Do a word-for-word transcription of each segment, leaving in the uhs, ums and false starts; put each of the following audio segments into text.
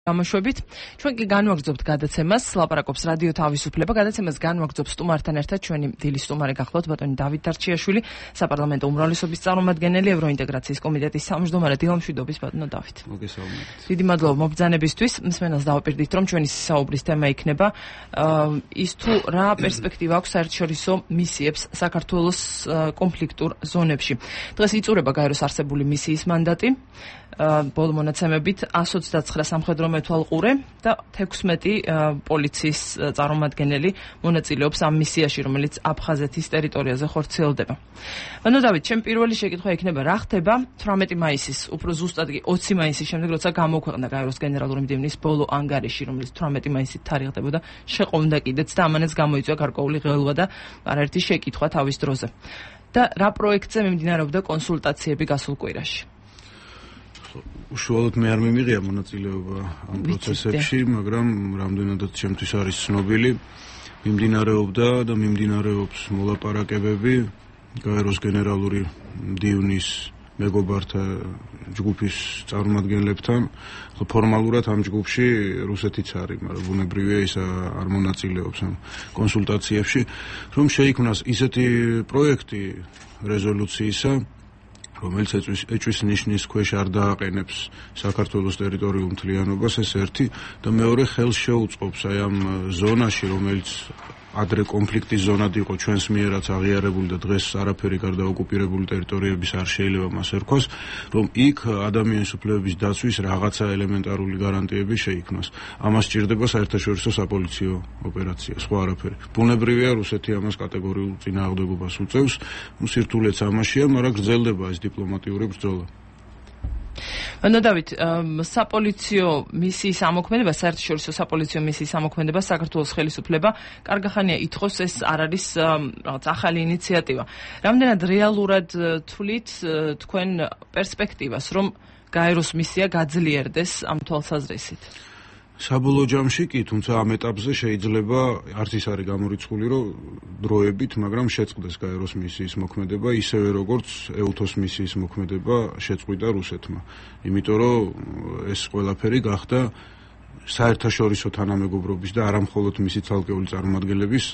გამოშვებით. ჩვენ კი განვაგრძობთ გადაცემას, ლაპარაკობს რადიო თავისუფლება. გადაცემას განვაგრძობს სტუმართან ერთად ჩვენი დილის სტუმარი გახლავთ ბატონი დავით დარჩიაშვილი, საპარლამენტო უმრავლესობის წარმომადგენელი, ევროინტეგრაციის კომიტეტის თავმჯდომარე. დილამშვიდობის ბატონო დავით. მოგესალმებით. დიდი მადლობა მობრძანებისთვის. მსმენელს დავაპირდით, რომ ჩვენი საუბრის თემა იქნება ის თუ რა პერსპექტივა აქვს საერთაშორისო მისიებს საქართველოს კონფლიქტურ ზონებში. დღეს იწურება გაეროს არსებული მისიის მანდატი. ბოლო მონაცემებით εκατს ოცდათვრამეტ სამხედრო მეთვალყურე და თექვსმეტი პოლიციის წარმომადგენელი მონაწილეობს ამ მისიაში, რომელიც აფხაზეთის ტერიტორიაზე ხორციელდება. ანუ დავით, ჩემ პირველი შეკითხვა იქნება, რა ხდება თვრამეტი მაისის, უფრო ზუსტად კი ოცი მაისის შემდეგ, როცა გამოქვეყნდა გაეროს გენერალური მდივნის ბოლო ანგარიში, რომელიც თვრამეტი მაისით თარიღდებოდა, შეყოვდა კიდეც და ამანაც გამოიწვია გარკვეული ღელვა და არაერთი შეკითხვა თავის დროზე. და რა პროექტზე მიმდინარეობდა კონსულტაციები გასულ კვირაში? უშუალოდ მე არ მიმიღია მონაწილეობა ამ პროცესებში, მაგრამ რამდენადაც ჩემთვის არის ცნობილი, მიმდინარეობდა და მიმდინარეობს მოლაპარაკებები გაეროს გენერალური მდივნის მეგობართა ჯგუფის წარმომადგენლებთან. ფორმალურად ამ ჯგუფში რუსეთიც არის, მაგრამ ბუნებრივია ის არ მონაწილეობს ამ კონსულტაციებში, რომ შეიქმნას ისეთი პროექტი რეზოლუციისა, რომელიც ეჭვის ნიშნის ქვეშ არ დააყენებს საქართველოს ტერიტორიულ მთლიანობას, ეს ერთი, და მეორე ხელს შეუწყობს აი ამ ზონაში, რომელიც ადრე კონფლიქტის ზონად იყო ჩვენს მიერაც აღიარებული და დღეს არაფერი გარდა ოკუპირებული ტერიტორიების არ შეიძლება მას ერქვას, რომ იქ ადამიანის უფლებების დაცვის რაღაცა ელემენტარული გარანტიები შეიქმნას. ამას სჭირდება საერთაშორისო საპოლიციო ოპერაცია, სხვა არაფერი. ბუნებრივია, რუსეთი ამას კატეგორიულ წინააღმდეგობას უწევს, ნუ სირთულეც ამაშია, მაგრამ გრძელდება ეს დიპლომატიური ბრძოლა. ანუ დავით, საპოლიციო მისიის ამოქმედება, საერთაშორისო საპოლიციო მისიის ამოქმედება საქართველოს ხელისუფლება კარგახანია ითხოვს, ეს არ არის რაღაც ახალი ინიციატივა. რამდენად რეალურად თვლით თქვენ პერსპექტივას, რომ გაეროს მისია გაძლიერდეს ამ თვალსაზრისით? საბოლოო ჯამში კი, თუმცა ამ ეტაპზე შეიძლება არც ის არის გამორიცხული, რომ დროებით, მაგრამ შეწყდეს გაეროს მისიის მოქმედება, ისევე როგორც ეუთოს მისიის მოქმედება შეწყვიტა რუსეთმა. იმიტომ რომ ეს ყველაფერი გახდა საერთაშორისო თანამეგობრობის და არა მხოლოდ მისი ცალკეული წარმომადგენლების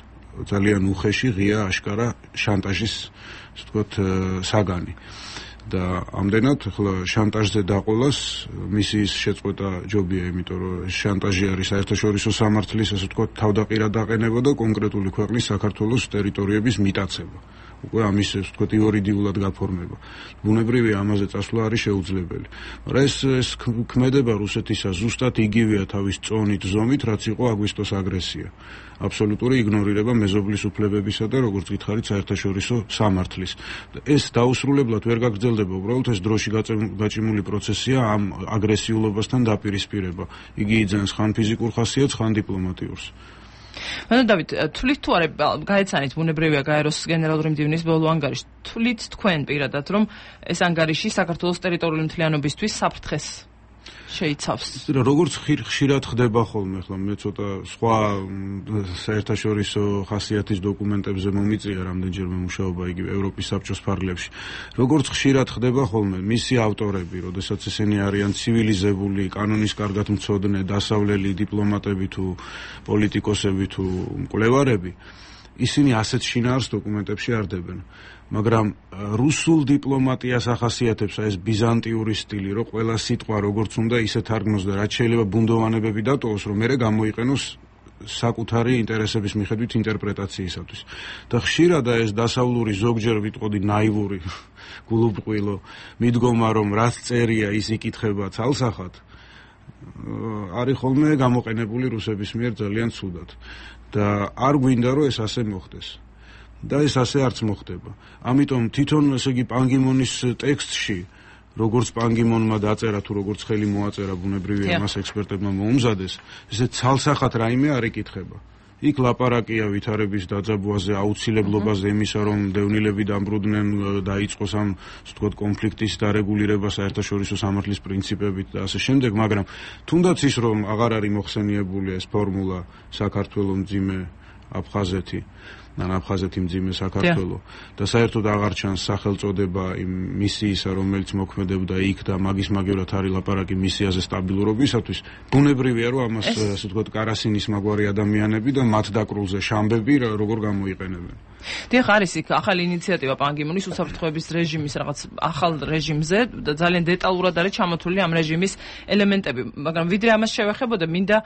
ძალიან უხეში, ღია, აშკარა შანტაჟის, ასე ვთქვათ, საგანი. და ამდენად ახლა შანტაჟზე დაყოლას მისიის შეწყვეტა ჯობია, იმიტომ რომ შანტაჟი არის საერთაშორისო სამართლის, ასე ვთქვათ, თავდაყირად დაყენება და კონკრეტული ქვეყნის საქართველოს ტერიტორიების მიტაცება. უკვე ამის, ასე ვთქვათ, იურიდიულად გაფორმება. ბუნებრივია, ამაზე წასვლა არის შეუძლებელი. მაგრამ ეს ეს ქმედება რუსეთისა ზუსტად იგივეა თავის წონით, ზომით, რაც იყო აგვისტოს აგრესია. აბსოლუტური იგნორირება მეზობლის უფლებებისა და როგორც გითხარით საერთაშორისო სამართლის. ეს დაუსრულებლად ვერ გაგრძელდება, უბრალოდ ეს დროში გაჭიმული პროცესია ამ აგრესიულობასთან დაპირისპირება. იგი იძენს ხან ფიზიკურ ხასიათს, ხან დიპლომატიურს. ანუ დავით, თვლით თუ არა, გაეცანით ბუნებრივია გაეროს გენერალური მდივნის ბოლო ანგარიში, თვლით თქვენ პირადად, რომ ეს ანგარიში საქართველოს ტერიტორიული მთლიანობისთვის საფრთხეს შეიცავს? როგორც ხშირად ხდება ხოლმე, ახლა მე ცოტა სხვა საერთაშორისო ხასიათის დოკუმენტებზე მომიწია რამდენჯერმე მუშაობა იგივე ევროპის საბჭოს ფარგლებში. როგორც ხშირად ხდება ხოლმე, მისი ავტორები, როდესაც ესენი არიან ცივილიზებული, კანონის კარგად მცოდნე, დასავლელი დიპლომატები თუ პოლიტიკოსები თუ მკვლევარები, ისინი ასეთ შინაარს დოკუმენტებში არ დებენ. მაგრამ რუსულ დიპლომატიას ახასიათებს ეს ბიზანტიური სტილი, რომ ყველა სიტყვა როგორც უნდა ისე თარგმნოს და რაც შეიძლება ბუნდოვანებები დატოვოს, რომ მერე გამოიყენოს საკუთარი ინტერესების მიხედვით ინტერპრეტაციისათვის. და ხშირად ეს დასავლური, ზოგჯერ ვიტყოდი ნაივური, გულუბრყვილო მიდგომა, რომ რაც წერია, ის იკითხება ცალსახად, არის ხოლმე გამოყენებული რუსების მიერ ძალიან ცუდად. და არ გვინდა, რომ ეს ასე მოხდეს. და ეს ასე არც მოხდება. ამიტომ თვითონ, ესე იგი, პანგიმონის ტექსტში, როგორც პანგიმონმა დაწერა თუ როგორც ხელი მოაწერა, ბუნებრივია მას ექსპერტებმა მოუმზადეს, ესე ცალსახად რაიმე არ იკითხება. იქ ლაპარაკია ვითარების დაძაბვაზე, აუცილებლობაზე იმისა, რომ დევნილები დამბრუნდნენ, დაიწყოს ამ, ასე ვთქვათ, კონფლიქტის დარეგულირება საერთაშორისო სამართლის პრინციპებით და ასე შემდეგ, მაგრამ თუნდაც ის, რომ აღარ არის მოხსენიებული ეს ფორმულა საქართველო, მძიმე აფხაზეთი, ან აფხაზეთი მძიმე საქართველო და საერთოდ აღარ ჩანს სახელწოდება იმ მისიისა, რომელიც მოქმედებდა იქ და მაგის-მაგევრად არის ლაპარაკი მისიაზე სტაბილურობისათვის. ბუნებრივია, რომ ამას ასე ვთქვათ, კარასინის მაგვარი ადამიანები და მათ დაკრულზე შამბები როგორ გამოიყენებენ. დიახ, არის იქ ახალი ინიციატივა პან კი მუნის უსაფრთხოების რეჟიმის რაღაც ახალ რეჟიმზე და ძალიან დეტალურად არის ჩამოთვლილი ამ რეჟიმის ელემენტები, მაგრამ ვიდრე ამას შევეხებოდა, მინდა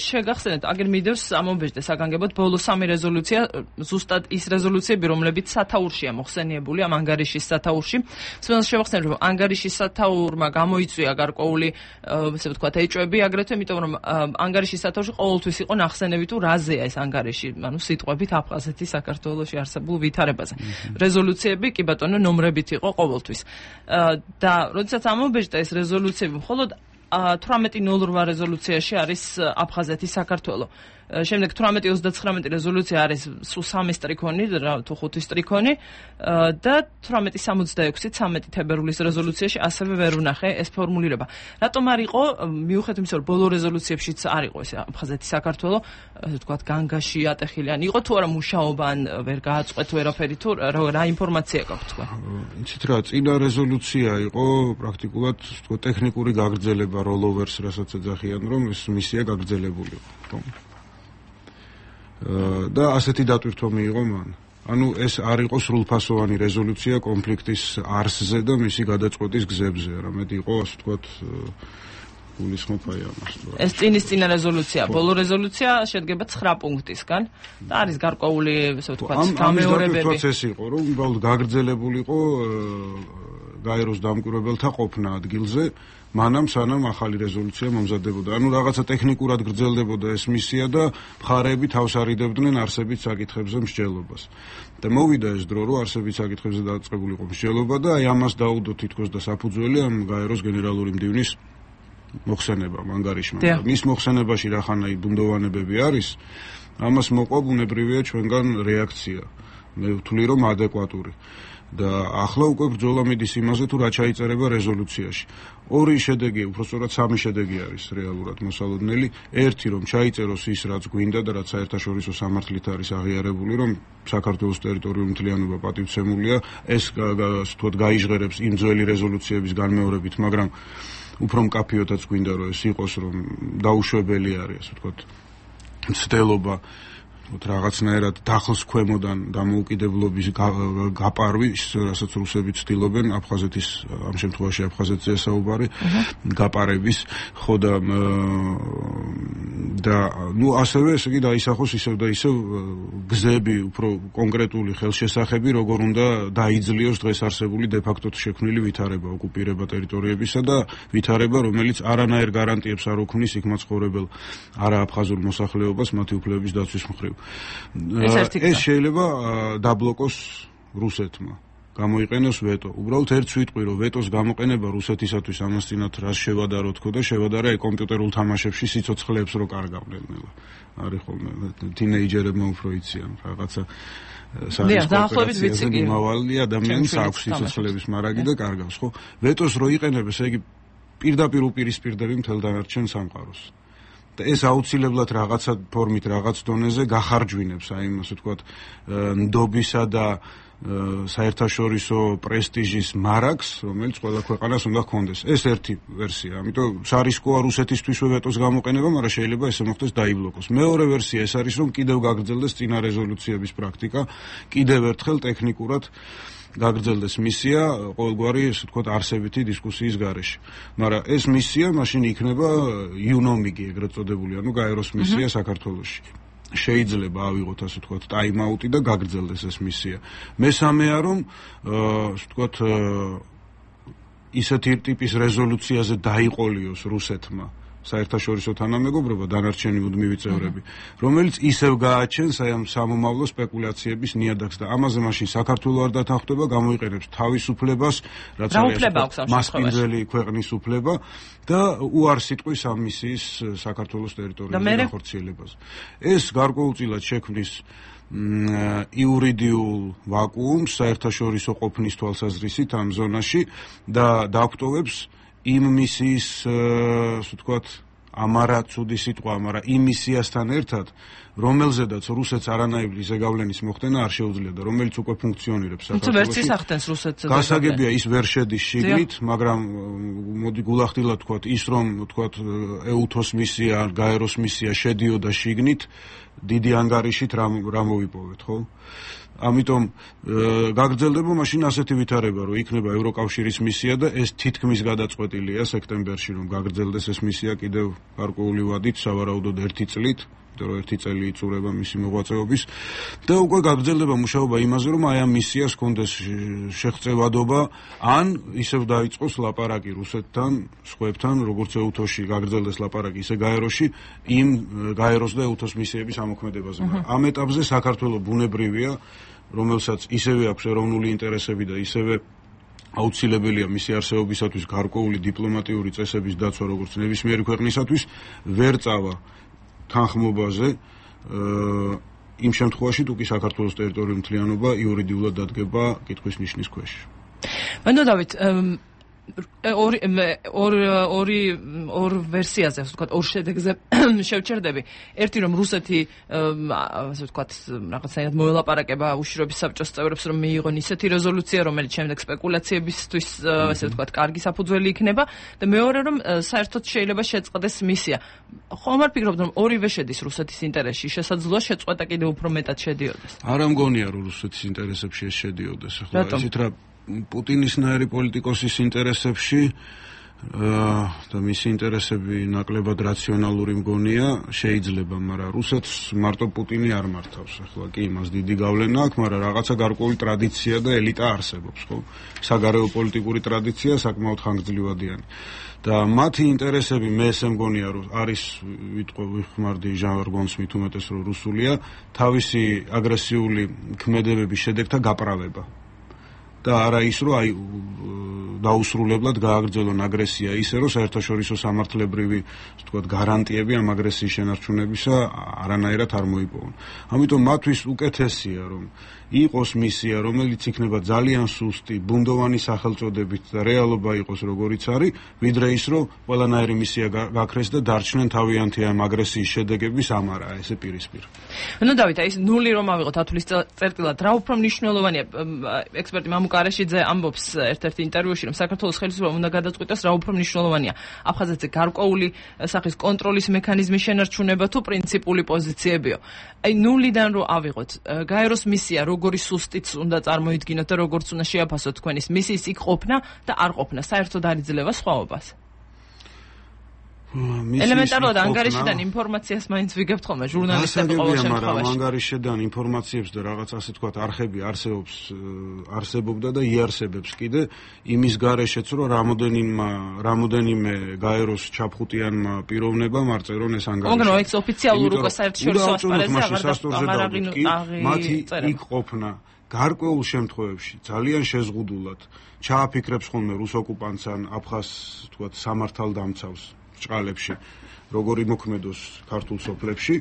შეგახსენოთ, აგერ მიდევს ამობეჭდე საგანგებოდ ბოლო სამი რეზოლუცია, ზუსტად ის რეზოლუციები, რომლებიც სათაურშია მოხსენიებული ამ ანგარიშის სათაურში. სულ შევახსენებ, რომ ანგარიშის სათაურმა გამოიწვია გარკვეული, ასე ვთქვათ, ეჭვები, აგრეთვე იმიტომ, რომ ანგარიშის სათაურში ყოველთვის იყო ნახსენები თუ რაზეა ეს ანგარიში, ანუ სიტყვებით აფხაზეთის საქართველოში არსებულ ვითარებაზე. რეზოლუციები კი ბატონო ნომრებით იყო ყოველთვის. და როდესაც ამობეჭდა ეს რეზოლუციები, მხოლოდ თვრამეტი ნულ რვა რეზოლუციაში არის აფხაზეთის საქართველო. შემდეგ თვრამეტი ოცდაცხრამეტი რეზოლუცია არის სულ სამი სტრიქონი თუ ხუთი სტრიქონი და თვრამეტი სამოცდაექვსი ცამეტი თებერვლის რეზოლუციაში ასევე ვერ ვნახე ეს ფორმულირება. რატომ არ იყო, მიუხედავად იმისა, რომ ბოლო რეზოლუციებშიც არ იყო ეს აფხაზეთი საქართველო, ასე ვთქვათ, განგაში ატეხილი, ან იყო თუ არა მუშაობა, ან ვერ გააწყვეტ ვერაფერი, თუ რა ინფორმაცია გაქვთ თქვენ? იცით რა, წინა რეზოლუცია იყო პრაქტიკულად ვთქვათ ტექნიკური გაგრძელება rollovers, რასაც ეძახიან, რომ ეს მისია გაგრძელებული იყო. და ასეთი დატვირთვა მიიღო მან. ანუ ეს არ იყო სრულფასოვანი რეზოლუცია კონფლიქტის არსზე და მისი გადაწყვეტის გზებზე, არამედ იყო, ასე ვთქვათ, გულისხმობ აი ამას. ეს წინის წინა რეზოლუცია, ბოლო რეზოლუცია შედგება ცხრა პუნქტისგან და არის გარკვეული, ასე ვთქვათ, გამეორებები. ამის პროცესი იყო, რომ უბრალოდ გაგრძელებულიყო გაეროს დამკვირვებელთა ყოფნა ადგილზე. მანამ სანამ ახალი რეზოლუცია მომზადებოდა. ანუ რაღაცა ტექნიკურად გრძელდებოდა ეს მისია და მხარეები თავს არიდებდნენ არსებით საკითხებზე მსჯელობას. და მოვიდა ეს დრო, რომ არსებით საკითხებზე დაწყებულიყო მსჯელობა და აი ამას დაუდო თითქოს და საფუძველი ამ გაეროს გენერალური მდივნის მოხსენება ანგარიშმა. მის მოხსენებაში რახანაი ბუნდოვანებები არის, ამას მოყვა ბუნებრივია ჩვენგან რეაქცია. მე ვთვლი, რომ ადეკვატური. და ახლა უკვე ბრძოლა მიდის იმაზე, თუ რა ჩაიწერება რეზოლუციაში. ორი შედეგი, უბრალოდ სამი შედეგი არის რეალურად მოსალოდნელი. ერთი, რომ ჩაიწეროს ის, რაც გვინდა და რაც საერთაშორისო სამართლით არის აღიარებული, რომ საქართველოს ტერიტორიული მთლიანობა პატივცემულია, ეს ვთქვათ გაიჟღერებს იმ ძველი რეზოლუციების განმეორებით, მაგრამ უფრო მკაფიოდაც გვინდა, რომ ეს იყოს, რომ დაუშვებელი არის, ასე ვთქვათ, მცდელობა რაღაცნაირად დახოს ქვემოდან დამოუკიდებლობის გაპარვის, რასაც რუსები ცდილობენ, აფხაზეთის, ამ შემთხვევაში აფხაზეთზე საუბარი, გაპარების, ხო და და ნუ ასევე ესე იგი დაისახოს ისევ და ისევ გზები, უფრო კონკრეტული ხელშესახები, როგორ უნდა დაიძლიოს დღეს არსებული დე-ფაქტოდ შექმნილი ვითარება, ოკუპირება ტერიტორიებისა და ვითარება, რომელიც არანაირ გარანტიებს არ უქმნის იქ მაცხოვრებელ არააფხაზურ მოსახლეობას მათი უფლებების დაცვის მხრივ. ეს შეიძლება დაბლოკოს რუსეთმა, გამოიყენოს ვეტო. უბრალოდ ერთ სიტყვი, რომ ვეტოს გამოყენება რუსეთისათვის ამას წინათ რას შევადარო თქო და შევადარა კომპიუტერულ თამაშებში სიცოცხლეებს რო კარგავდნენ. არის ხოლმე თინეიჯერებმა უფრო იციან რაღაცა დაახლოებით ვიცი კი. მავალი ადამიანს აქვს სიცოცხლეების მარაგი და კარგავს, ხო? ვეტოს რო იყენებს, ესე იგი პირდაპირ უპირისპირდები მთელ დანარჩენ სამყაროს. ეს აუცილებლად რაღაცა ფორმით, რაღაც დონეზე გახარჯვინებს, აი ასე ვთქვათ, ნდობისა და საერთაშორისო პრესტიჟის მარაგს, რომელიც ყველა ქვეყანას უნდა ჰქონდეს. ეს ერთი ვერსია, ამიტომ სარისკოა რუსეთისთვისვე ვეტოს გამოყენება, მაგრამ შეიძლება ესე მოხდეს დაიბლოკოს. მეორე ვერსია ეს არის, რომ კიდევ გაგრძელდეს წინა რეზოლუციების პრაქტიკა, კიდევ ერთხელ ტექნიკურად გაგრძელდეს მისია ყოველგვარი, ესე ვთქვათ, არსებითი დისკუსიის გარეშე. მაგრამ ეს მისია მაშინ იქნება იუნომიგი, ეგრეთ წოდებული, ანუ გაეროს მისია საქართველოში. შეიძლება ავიღოთ, ასე ვთქვათ, ტაიმ-აუტი და გაგრძელდეს ეს მისია. მესამეა, რომ ასე ვთქვათ, ისეთი ტიპის რეზოლუციაზე დაიყოლიოს რუსეთმა საერთაშორისო თანამეგობრობა, დანარჩენი მუდმივი წევრები, რომელიც ისევ გააჩენს აი ამ სამომავლო სპეკულაციების ნიადაგს და ამაზე მაშინ საქართველოს არ დათანხმდება, გამოიყენებს თავისუფლებას, რაც არის მასპინძელი ქვეყნის უფლება და უარს იტყვის ამ მისიის საქართველოს ტერიტორიაზე განხორციელებაზე. ეს გარკვეულწილად შექმნის იურიდიულ ვაკუუმს საერთაშორისო ყოფნის თვალსაზრისით ამ ზონაში და დაგვტოვებს იმ მისიის, ასე ვთქვათ, ამარა ცუდი სიტყვა, მაგრამ იმ მისიასთან ერთად, რომელზედაც რუსეთს არანაირი ზეგავლენის მოხდენა არ შეუძლია და რომელიც უკვე ფუნქციონირებს საქართველოში. ვერც ის ახდენს რუსეთს. გასაგებია ის ვერ შედის შიგნით, მაგრამ მოდი გულახდილად ვთქვათ, ის რომ ვთქვათ ეუთოს მისია, გაეროს მისია შედიოდა შიგნით, დიდი ანგარიშით რა რა მოვიპოვეთ, ხო? ამიტომ გაგრძელდება მაშინ ასეთი ვითარება, რომ იქნება ევროკავშირის მისია და ეს თითქმის გადაწყვეტილია სექტემბერში, რომ გაგრძელდეს ეს მისია კიდევ გარკვეული ვადით, სავარაუდოდ ერთი წლით, რომ ერთი წელი იწურება მისი მოღვაწეობის და უკვე გაგრძელდება მუშაობა იმაზე, რომ აი ამ მისიას კონდეს შეღწევადობა, ან ისევ დაიწყოს ლაპარაკი რუსეთთან, სხვებთან, როგორც ეუთოში გაგრძელდეს ლაპარაკი, ისე გაეროში, იმ გაეროს და ეუთოს მისიების ამოქმედებაზე. ამ ეტაპზე საქართველოს ბუნებრივია, რომელსაც ისევე აქვს ეროვნული ინტერესები და ისევე აუცილებელია მისი არსებობისათვის გარკვეული დიპლომატიური წესების დაცვა, როგორც ნებისმიერი ქვეყნისათვის, ვერ წავა თანხმობაზე იმ შემთხვევაში, თუ კი საქართველოს ტერიტორიული მთლიანობა იურიდიულად დადგება კითხვის ნიშნის ქვეშ. მანდ დავით ორი ორი ორ ვერსიაზე, ასე ვთქვათ, ორ შედეგზე შევჩერდები. ერთი რომ რუსეთი ასე ვთქვათ, რაღაცნაირად მოელაპარაკება უშიშროების საბჭოს წევრებს, რომ მიიღონ ისეთი რეზოლუცია, რომელიც შემდეგ სპეკულაციებისთვის, ასე ვთქვათ, კარგი საფუძველი იქნება და მეორე რომ საერთოდ შეიძლება შეწყდეს მისია. ხომ არ ფიქრობთ, რომ ორივე შედის რუსეთის ინტერესში, შესაძლოა შეწყვეტა კიდევ უფრო მეტად შედიოდეს? არ ამგონია, რომ რუსეთის ინტერესებში ეს შედიოდეს. ახლა ისეთ რა პუტინისნაირი პოლიტიკოსის ინტერესებში და მისი ინტერესები ნაკლებად რაციონალური მგონია, შეიძლება, მაგრამ რუსეთს მარტო პუტინი არ მართავს. ახლა კი იმას დიდი გავლენა აქვს, მაგრამ რაღაცა გარკვეული ტრადიცია და ელიტა არსებობს, ხო? საგარეო პოლიტიკური ტრადიცია საკმაოდ ხანგრძლივადიანი. და მათი ინტერესები მე ესე მგონია, რომ არის ვიტყვი ვიხმარდი ჟარგონს მით უმეტეს რომ რუსულია, თავისი აგრესიული ქმედებების შედეგთა გაправება. და არა ის, რომ აი დაუსრულებლად გააგრძელონ აგრესია ისე, რომ საერთაშორისო სამართლებრივი, ასე ვთქვათ, გარანტიები ამ აგრესიის შენარჩუნებისა არანაირად არ მოიპოვონ. ამიტომ მათთვის უკეთესია, რომ იყოს მისია, რომელიც იქნება ძალიან სუსტი, ბუნდოვანი სახელწოდებით და რეალობა იყოს როგორიც არის, ვიდრე ის, რომ ყველანაირი მისია გაქრეს და დარჩნენ თავიანთი ამ აგრესიის შედეგების ამარა, ესე პირისპირ. ნუ დავით, აი ეს ნული რომ ავიღოთ ათulis წერტილად, რა უფრო მნიშვნელოვანია? ექსპერტი მამუკა არაშიძე ამბობს ერთ-ერთ ინტერვიუში, რომ საქართველოს ხელისუფლებამ უნდა გადაწყვიტოს, რა უფრო მნიშვნელოვანია, აფხაზეთზე გარკვეული სახის კონტროლის მექანიზმის შენარჩუნება თუ პრინციპული პოზიციებიო. აი ნულიდან რომ ავიღოთ, გაეროს მისია როგორი სუსტიც უნდა წარმოიდგინოთ და როგორც უნდა შეაფასოთ თქვენის მისიის იქ ყოფნა და არ ყოფნა, საერთოდ არ იძლევა სხვაობას? ელემენტარულად ანგარიშიდან ინფორმაციას მაინც ვიგებთ ხოლმე ჟურნალისტები ყოველ შემთხვევაში. მაგრამ ანგარიშიდან ინფორმაციებს და რაღაც ასე თქვათ არხები არსებობს, არსებობდა და იარსებებს კიდე იმის გარეშეც, რომ რამოდენიმე რამოდენიმე გაეროს ჩაფხუტიანმა პიროვნებამ არ წერონ ეს ანგარიში. მაგრამ ეს ოფიციალურ უკვე საერთაშორისო ასპარეზზე აღარ დაგწომა. მათი იქ ყოფნა გარკვეულ შემთხვევებში ძალიან შეზღუდულად ჩააფიქრებს ხოლმე რუს ოკუპანტს ან აფხაზ თქვათ სამართალ დამცავს ჭყალებში, როგორი მოქმედოს ქართულ სოფლებში,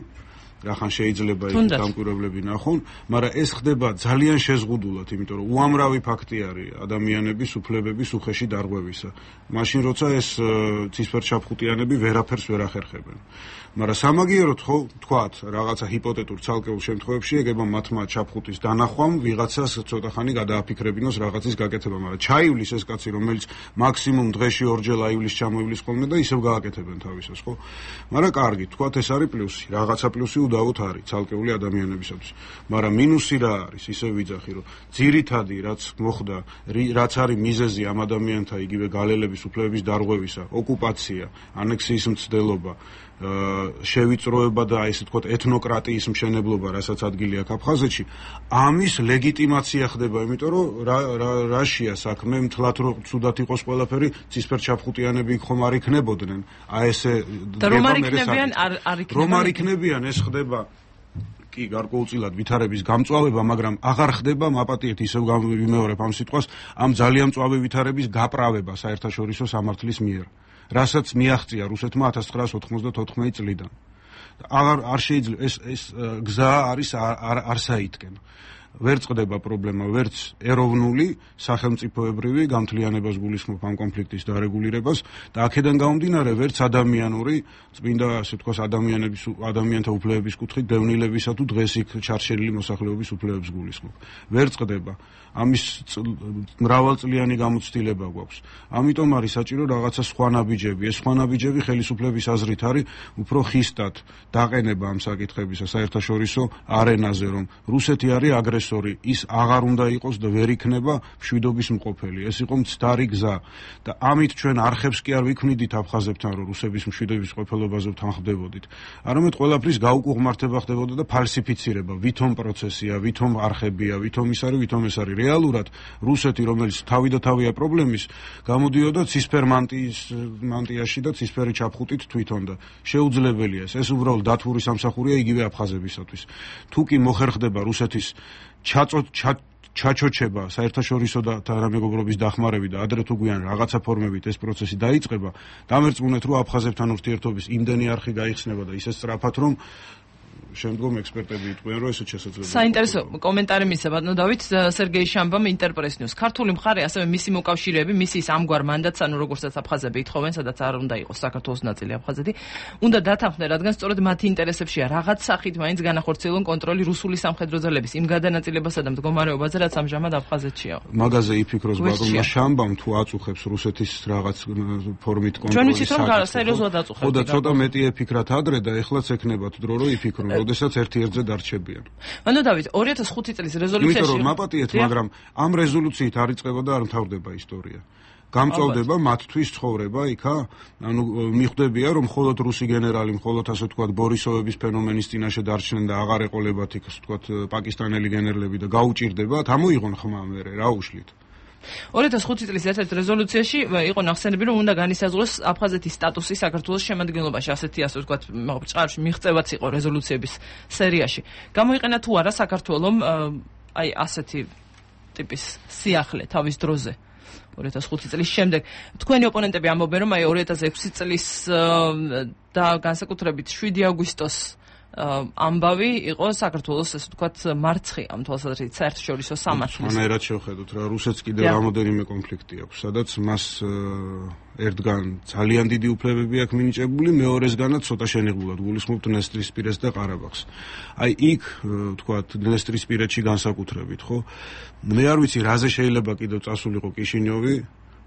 რახან შეიძლება იქ დამკვირვებლები ნახონ, მაგრამ ეს ხდება ძალიან შეზღუდულად, იმიტომ რომ უამრავი ფაქტი არის ადამიანების უფლებების უხეში დარღვევისა. მაშინ როცა ეს ცისფერჩაფხუტიანები ვერაფერს ვერ ახერხებენ. მაგრამ სამაგიეროდ ხო თქვათ, რაღაცა ჰიპოთეტურ ცალკეულ შემთხვევებში ეგება მათმა ჩაფხუტის დანახვამ ვიღაცას ცოტა ხანი გადააფიქრებინოს რაღაცის გაკეთება, მაგრამ ჩაივლის ეს კაცი, რომელიც მაქსიმუმ დღეში ორჯერ აივლის ჩამოივლის ხოლმე და ისევ გააკეთებენ თავისას, ხო? მაგრამ კარგი, თქვათ ეს არის პლუსი, რაღაცა პლუსი უდავოდ არის ცალკეული ადამიანებისათვის. მაგრამ მინუსი რა არის? ისევ ვიძახი, რომ ძირითადი რაც მოხდა, რაც არის მიზეზი ამ ადამიანთა იგივე გალელების უფლებების დარღვევისა, ოკუპაცია, ანექსიის მცდელობა, შევიწროება და ესე ვთქვათ ეთნოკრატიის მშენებლობა, რასაც ადგილი აქვს აფხაზეთში, ამის ლეგიტიმაცია ხდება, იმიტომ რომ რაშია საქმე, მთლად რომ ცუდად იყოს ყველაფერი, ცისფერჩაფხუტიანები იქ ხომ არ იქნებოდნენ. აი ესე რომ არ იქნებიან, არ იქნებიან. რომ არ იქნებიან, ეს ხდება კი გარკვეულწილად ვითარების გამწვავება, მაგრამ აღარ ხდება, მაპატიეთ ისევ ვიმეორებ ამ სიტყვას, ამ ძალიან მწვავე ვითარების გაправება საერთაშორისო სამართლის მიერ. რასაც მიაღწია რუსეთმა ათას ცხრაას ოთხმოცდაოთხ წლიდან. აღარ არ შეიძლება ეს ეს გზა არის არსაითკენ. ვერ წყდება პრობლემა, ვერც ეროვნული, სახელმწიფოებრივი გამთლიანებას გულისხმობ ამ კონფლიქტის დარეგულირებას და აქედან გამომდინარე ვერც ადამიანური, წმინდა ასე ვთქვას ადამიანების ადამიანთა უფლებების კუთხით დევნილებისა თუ დღეს იქ ჩარჩენილი მოსახლეობის უფლებებს გულისხმობ. ვერ წყდება. ამის მრავალწლიანი გამოცდილება გვაქვს. ამიტომ არის საჭირო რაღაცა სხვა ნაბიჯები. ეს სხვა ნაბიჯები ხელისუფლების აზრით არის უფრო ხისტად დაყენება ამ საკითხებისა საერთაშორისო არენაზე, რომ რუსეთი არის აგრესორი, ის აღარ უნდა იყოს და ვერ იქნება მშვიდობის მყოფელი. ეს იყო მცდარი გზა და ამით ჩვენ არხებს კი არ ვიქმნიდით აფხაზებთან, რომ რუსების მშვიდობის მყოფელობაზე ვთანხმდებოდით. არამედ ყველაფრის გაუკუღმართება ხდებოდა და ფალსიფიცირება, ვითომ პროცესია, ვითომ არხებია, ვითომ ის არის, ვითომ ეს არის. რეალურად რუსეთი, რომელიც თავი და თავია პრობლემის, გამოდიოდა ცისფერ მანტიის მანტიაში და ცისფერი ჩაფხუტით თვითონ და შეუძლებელია ეს. ეს უბრალოდ დათვური სამსახურია იგივე აფხაზებისათვის. თუ კი მოხერხდება რუსეთის ჩაწოდ ჩაჩოჩება საერთაშორისო და თანამეგობრობის დახმარებით და ადრე თუ გვიან რაღაცა ფორმებით ეს პროცესი დაიწყება, დამერწმუნეთ რომ აფხაზებთან ურთიერთობის იმდენი არხი გაიხსნება და ისე სწრაფად რომ შემდგომ ექსპერტები იტყვიან, რომ ესეც შესაძლებელია. საინტერესო კომენტარი მისცა ბატონო დავით სერგეი შამბამ ინტერპრეს ნიუს. ქართული მხარე ასევე მისი მოკავშირეები, მისი ამგვარ მანდატს, ანუ როგორცაც აფხაზები ითხოვენ, სადაც არ უნდა იყოს საქართველოს ნაწილი აფხაზეთი, უნდა დათანხმდნენ, რადგან სწორედ მათი ინტერესებშია რაღაც სახით მაინც განახორციელონ კონტროლი რუსული სამხედრო ძალების იმ გადანაწილებასა და მდგომარეობაზე, რაც ამჟამად აფხაზეთშია. მაგაზე იფიქროს ბატონმა შამბამ, თუ აწუხებს რუსეთის რაღაც ფორმით კონტროლის. ჩვენ ვიცით რომ სერიოზულად აწუხებს. ხო და ცოტა მეტი ეფიქრათ ადრე და ეხლაც ექნებათ დრო რომ იფიქრონ. როდესაც ერთი ერთზე დარჩებიან. ანუ დავით ორი ათას ხუთი წლის რეზოლუციაში იმიტომ რომ მაპატიეთ, მაგრამ ამ რეზოლუციით არ იწყება და არ მთავრდება ისტორია. გამწვავდება მათთვის ცხოვრება იქა, ანუ მიხვდებია რომ მხოლოდ რუსი გენერალი, მხოლოდ ასე ვთქვათ ბორისოვების ფენომენის წინაშე დარჩნენ და აღარ ეყოლებათ იქ ასე ვთქვათ პაკისტანელი გენერლები და გაუჭირდებათ, ამოიღონ ხმა მერე რა უშლით. ორი ათას ხუთი წლის ერთ-ერთ რეზოლუციაში იყო ნახსენები, რომ უნდა განისაზღვროს აფხაზეთის სტატუსი საქართველოს შემადგენლობაში, ასეთი ასე ვთქვათ, ჭარბში მიღწევაც იყო რეზოლუციების სერიაში. გამოიყენა თუ არა საქართველომ აი ასეთი ტიპის სიახლე თავის დროზე ორი ათას ხუთი წლის შემდეგ. თქვენი ოპონენტები ამბობენ, რომ აი ორი ათას ექვსი წლის და განსაკუთრებით შვიდი აგვისტოს ამბავი იყო საქართველოს ასე ვთქვათ მარცხი ამ თვალსაზრისით საერთაშორისო სამართლის. მანერად შევხედოთ რა, რუსეთს კიდევ რამოდენიმე კონფლიქტი აქვს, სადაც მას ერთგან ძალიან დიდი უფლებები აქვს მინიჭებული, მეორესგანაც ცოტა შენიღბულად გულისხმობთ დნესტრისპირეთს და ყარაბაღს. აი იქ ვთქვათ დნესტრისპირეთში განსაკუთრებით, ხო? მე არ ვიცი რაზე შეიძლება კიდევ წასულიყო კიშინიოვი,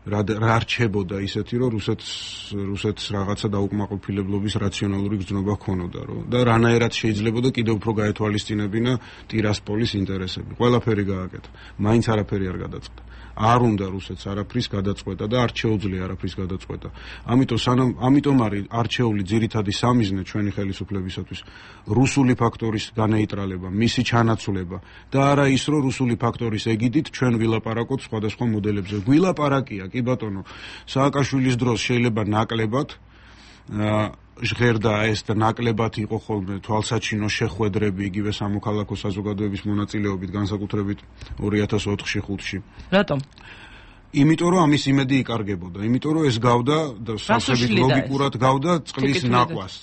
რა რა რჩებოდა ისეთი რომ რუსეთს რუსეთს რაღაცა დაუკმაყოფილებლობის რაციონალური გრძნობა ჰქონოდა რომ და რანაირად შეიძლებოდა კიდევ უფრო გაეთვალისწინებინა ტირასპოლის ინტერესები. ყველაფერი გააკეთა. მაინც არაფერი არ გადაწყდა. არ უნდა რუსეთს არაფრის გადაწყვეტა და არ შეუძლია არაფრის გადაწყვეტა. ამიტომ სანამ ამიტომ არის არჩეული ძირითადი სამიზნე ჩვენი ხელისუფლებისათვის რუსული ფაქტორის განეიტრალება, მისი ჩანაცვლება და არა ის რომ რუსული ფაქტორის ეგიდით ჩვენ ვილაპარაკოთ სხვადასხვა მოდელებზე. გვილაპარაკია კი ბატონო, სააკაშვილის დროს შეიძლება ნაკლებად ჟღერდა ეს და ნაკლებად იყო ხოლმე თვალსაჩინო შეხვედრები იგივე სამოქალაქო საზოგადოების მონაწილეობით განსაკუთრებით ორი ათას ოთხში ხუთში. რატომ? იმიტომ რომ ამის იმედი იკარგებოდა, იმიტომ რომ ეს გავდა და სასწრაფოდ ლოგიკურად გავდა წყლის ნაყვას.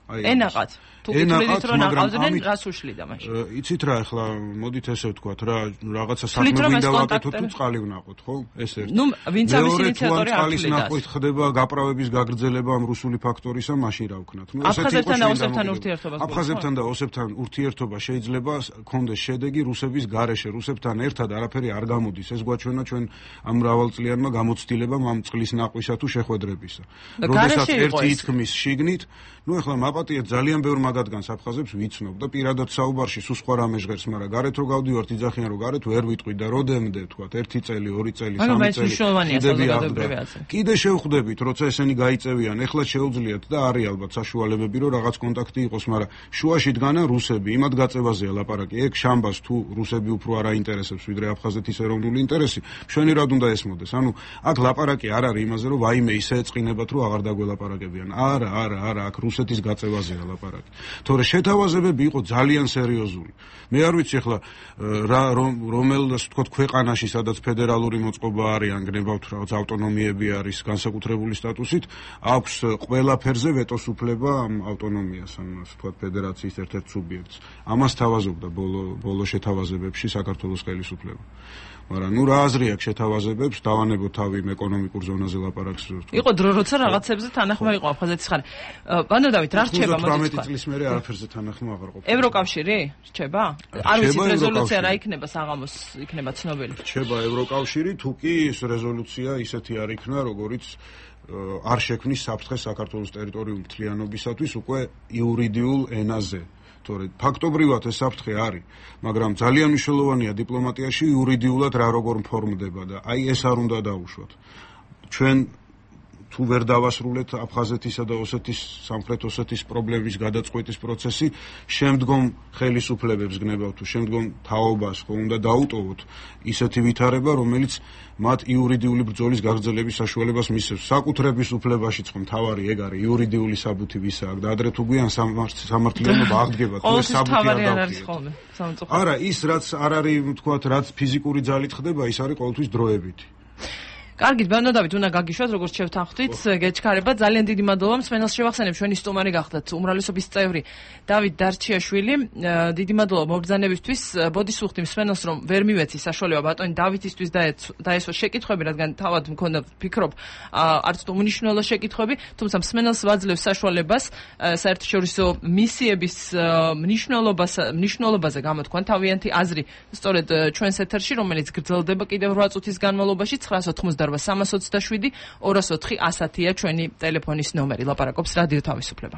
ენაყად. თუ გითხრით რომ ნაყავდნენ, რას უშლიდა მაშინ? იცით რა, ახლა მოდით ესე ვთქვათ რა, რაღაცა საქმე მინდა ვაკეთოთ თუ წყალი ვნაყოთ, ხო? ეს ერთი. ნუ ვინც ამის ინიციატორი არ წყლის ნაყვით ხდება გაправების გაგრძელება ამ რუსული ფაქტორისა, მაშინ რა ვქნათ? ნუ ესეთი იყო აფხაზებთან და ოსებთან ურთიერთობა. აფხაზებთან და ოსებთან ურთიერთობა შეიძლება ქონდეს შედეგი რუსების გარეშე, რუსებთან ერთად არაფერი არ გამოდის. ეს გვაჩვენა ჩვენ ამ მრავალწლიანმა გამოცდილებამ ამ წყლის ნაყვისა თუ შეხვედრებისა. როდესაც ერთი ითქმის შიგნით, ნუ ახლა მაპატიეთ ძალიან ბევრ მაგადგანს აფხაზებს ვიცნობ და პირადად საუბარში სულ სხვა რამე ჟღერს, მაგრამ გარეთ რო გავდივართ იძახიან რომ გარეთ ვერ ვიტყვი და როდემდე თქვა ერთი წელი, ორი წელი, სამი წელი. კიდე შევხვდებით, როცა ესენი გაიწევიან, ეხლა შეუძლიათ და არის ალბათ საშუალებები რომ რაღაც კონტაქტი იყოს, მაგრამ შუაში დგანან რუსები, იმად გაწევაზეა ლაპარაკი. ეგ შამბას თუ რუსები უფრო არ აინტერესებს ვიდრე აფხაზეთის ეროვნული ინტერესი, ჩვენი რად უნდა ესმოდეს? ანუ აქ ლაპარაკი არ არის იმაზე რომ ვაიმე ისე ეწყინებათ რომ აღარ დაგველაპარაკებიან. არა, არა, არა, აქ რუსეთის გაწევა მიღწევაზეა ლაპარაკი. თორე შეთავაზებები იყო ძალიან სერიოზული. მე არ ვიცი ახლა რა რომელ ასე ვთქვათ ქვეყანაში სადაც ფედერალური მოწყობა არის ან გნებავთ რაღაც ავტონომიები არის განსაკუთრებული სტატუსით აქვს ყველა ფერზე ვეტოს უფლება ამ ავტონომიას ან ასე ვთქვათ ფედერაციის ერთ-ერთ სუბიექტს. ამას თავაზობდა ბოლო ბოლო შეთავაზებებში საქართველოს ხელისუფლება. მაგრამ ნუ რა აზრი აქვს შეთავაზებებს დავანებო თავი იმ ეკონომიკურ ზონაზე ლაპარაკს. იყო დრო როცა რაღაცებზე თანახმა იყო აფხაზეთის ხარი. ბანო დავით რა რჩება მოდი თვრამეტი წლის მერე არაფერზე თანახმა აღარ ყოფილა. ევროკავშირი რჩება? არ ვიცი რეზოლუცია რა იქნება საღამოს იქნება ცნობილი. რჩება ევროკავშირი თუ კი ეს რეზოლუცია ისეთი არ იქნა როგორიც არ შექმნის საფრთხეს საქართველოს ტერიტორიულ მთლიანობისათვის უკვე იურიდიულ ენაზე. თორე ფაქტობრივად ეს საფრთხე არის, მაგრამ ძალიან მნიშვნელოვანია დიპლომატიაში იურიდიულად რა როგორ მფორმდება და აი ეს არ უნდა დაუშვათ. ჩვენ თუ ვერ დავასრულეთ აფხაზეთისა და ოსეთის სამხრეთ ოსეთის პრობლემის გადაწყვეტის პროცესი, შემდგომ ხელისუფლებებს გნებავთ თუ შემდგომ თაობას ხო უნდა დაუტოვოთ ისეთი ვითარება, რომელიც მათ იურიდიული ბრძოლის გაგრძელების საშუალებას მისცემს. საკუთრების უფლებაშიც ხო მთავარი ეგ არის იურიდიული საბუთი ვისა აქვს და ადრე თუ გვიან სამართლიანობა აღდგება თუ ეს საბუთი არ დავხდიეთ. არა, ის რაც არ არის თქვათ რაც ფიზიკური ძალით ხდება, ის არის ყოველთვის დროებითი. კარგით, ბანო დავით, უნდა გაგიშვათ, როგორც შევთანხმდით, გეჩქარება. ძალიან დიდი მადლობა. მსმენელს შევახსენებ, ჩვენი სტუმარი გახდათ უმრავლესობის წევრი დავით დარჩიაშვილი. დიდი მადლობა მობრძანებისთვის. ბოდიშ ვუხდი მსმენელს, რომ ვერ მივეცი საშუალება ბატონი დავითისთვის დაესვა შეკითხვები, რადგან თავად მქონდა ვფიქრობ, არც თუ უნიშნელო შეკითხვები, თუმცა მსმენელს ვაძლევს საშუალებას საერთაშორისო მისიების მნიშვნელობას მნიშვნელობაზე გამოთქვან თავიანთი აზრი სწორედ ჩვენს ეთერში, რომელიც გრძელდება კიდევ რვა წუთის განმავლობაში ცხრაას ოცდაოთხი სამას ოცდაშვიდი ორას ოთხი ასათია ჩვენი ტელეფონის ნომერი. ლაპარაკობს რადიო თავისუფლება.